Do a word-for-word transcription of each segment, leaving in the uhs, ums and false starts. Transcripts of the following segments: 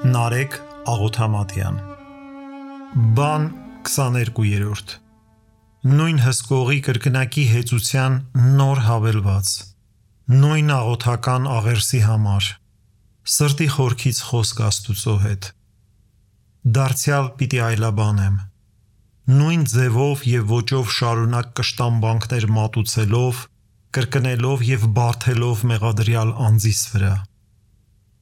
Նարեկ Աղոթամատյան Բան քսաներկուերորդ Նույն հսկողի կրկնակի հեծության նոր հավելված Նույն աղոթական աղերսի համար Սրտի խորքից խոսք Աստուծո հետ Դարձյալ պիտի այլաբանեմ Նույն ձևով և ոճով շարունակ կշտամբանքներ մատուցելով, կրկնելով և բարդելով մեղադրյալ անձիս վրա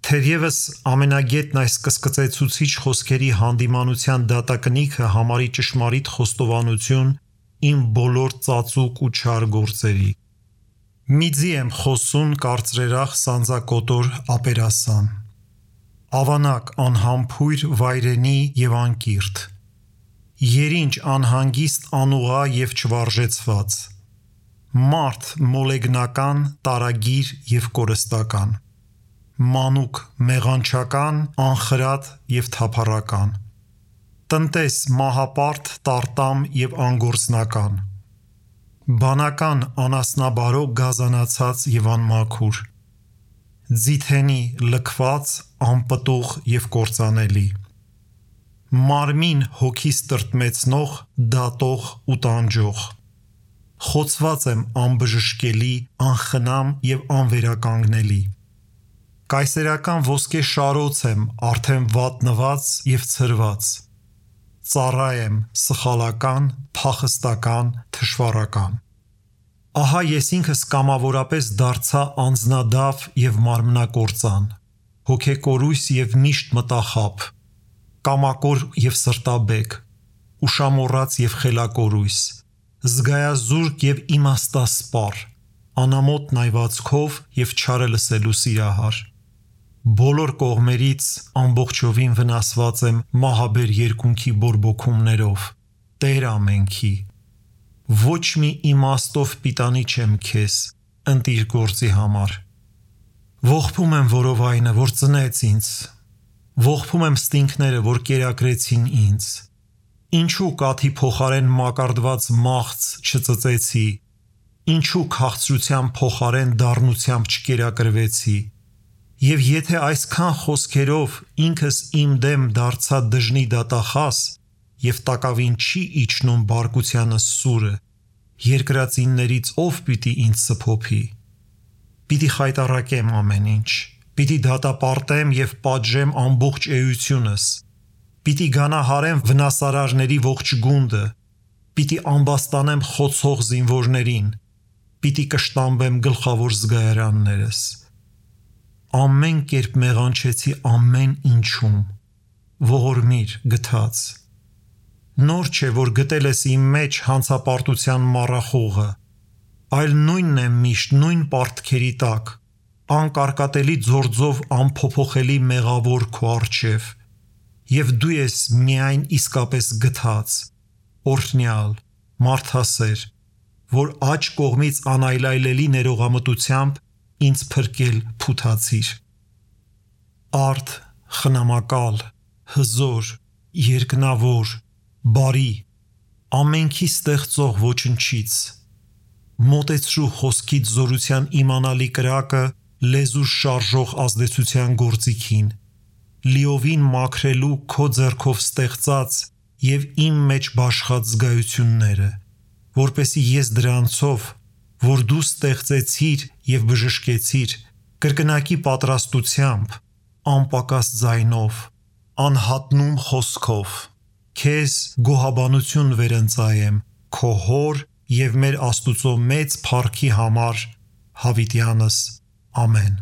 Թերևս ամենագետն այս կսկծեցուցիչ խոսքերի հանդիմանության դատակնիքը համարի ճշմարիտ խոստովանություն իմ բոլոր ծածուկ ու չար գործերի Միձի եմ խոսուն կարծրերախ սանձակոտոր ապերասան Ավանակ անհամբույր վայրենի և անկիրթ Երինչ անհանգիստ անուղղա և չվարժեցված Մարդ մոլեգնական, տարագիր և կորստական Մանուկ մեղանչական, անխրատ և թափառական Տնտես մահապարտ, տարտամ և անգործնական Բանական անասնաբարո գազանացած և անմաքուր Ձիթենի լքված, անպտուղ և կործանելի Մարմին հոգիս տրտմեցնող, դատող ու տանջող Խոցված եմ անբժշկելի, անխնամ և անվերականգնելի Կայսերական ոսկե շարոց եմ արդեն վատնված և ցրված Ծառա եմ սխալական, փախստական, թշվառական Ահա ես ինքս կամավորապես դարձա անձնադավ և մարմնակործան Հոգեկորույս և միշտ մտախաբ Կամակոր և սրտաբեկ Ուշամոռաց և խելակորույս Զգայազուրկ և իմաստասպառ Անամոթ նայվածքով և չարը լսելու սիրահար Բոլոր կողմերից ամբողջովին վնասված եմ մահաբեր երկունքի բորբոքումներով Տեր ամենքի Ոչ մի իմաստով պիտանի չեմ քեզ ընտիր գործի համար Ողբում եմ որովայնը, որ ծնեց ինձ Ողբում եմ ստինգները, որ կերակրեցին ինձ Ինչու կաթի փոխարեն մակարդված մաղց չծծեցի Ինչու քաղցրության փոխարեն դառնությամբ չկերակրվեցի Եվ եթե այսքան խոսքերով ինքս իմ դեմ դարձա դժնի դատախաս Եվ տակավին չի իջնում բարկությանս սուրը Երկրածիններից ով պիտի ինձ սփոփի Պիտի խայտառակեմ ամեն ինչ Պիտի դատապարտեմ և պատժեմ ամբողջ էությունս Պիտի գանահարեմ վնասարարների ողջ գունդը Պիտի ամբաստանեմ խոցող զինվորներին Պիտի կշտամբեմ գլխավոր զգայարաններս Ամեն կերպ մեղանչեցի ամեն ինչում Ողորմիր գթած Նոր չէ, որ գտել ես իմ մեջ հանցապարտության մառախողը Այլ նույնն է միշտ նույն պարտքերի տակ Անկարկատելի ձորձով անփոփոխելի մեղավոր քո առջև Եվ դու ես միայն իսկապես գթած Օրհնյալ, մարդասեր Որ աջ կողմից անայլայլելի ներողամտությամբ Ինձ փրկել փութացիր Արդ, խնամակալ, հզոր, երկնավոր, բարի Ամենքի ստեղծող ոչնչից Մոտեցրու խոսքից զորության իմանալի կրակը Լեզուս շարժող ազդեցության գործիքին Լիովին մաքրելու քո ձեռքով ստեղծած և իմ մեջ բաշխած զգայությունները Որպեսզի ես դրանցով Որ դու ստեղծեցիր և բժշկեցիր Կրկնակի պատրաստությամբ Անպակաս ձայնով Անհատնում խոսքով Քեզ գոհաբանություն վերընծայեմ Քո հոր և մեր Աստուծո մեծ փառքի համար Հավիտյանս ամեն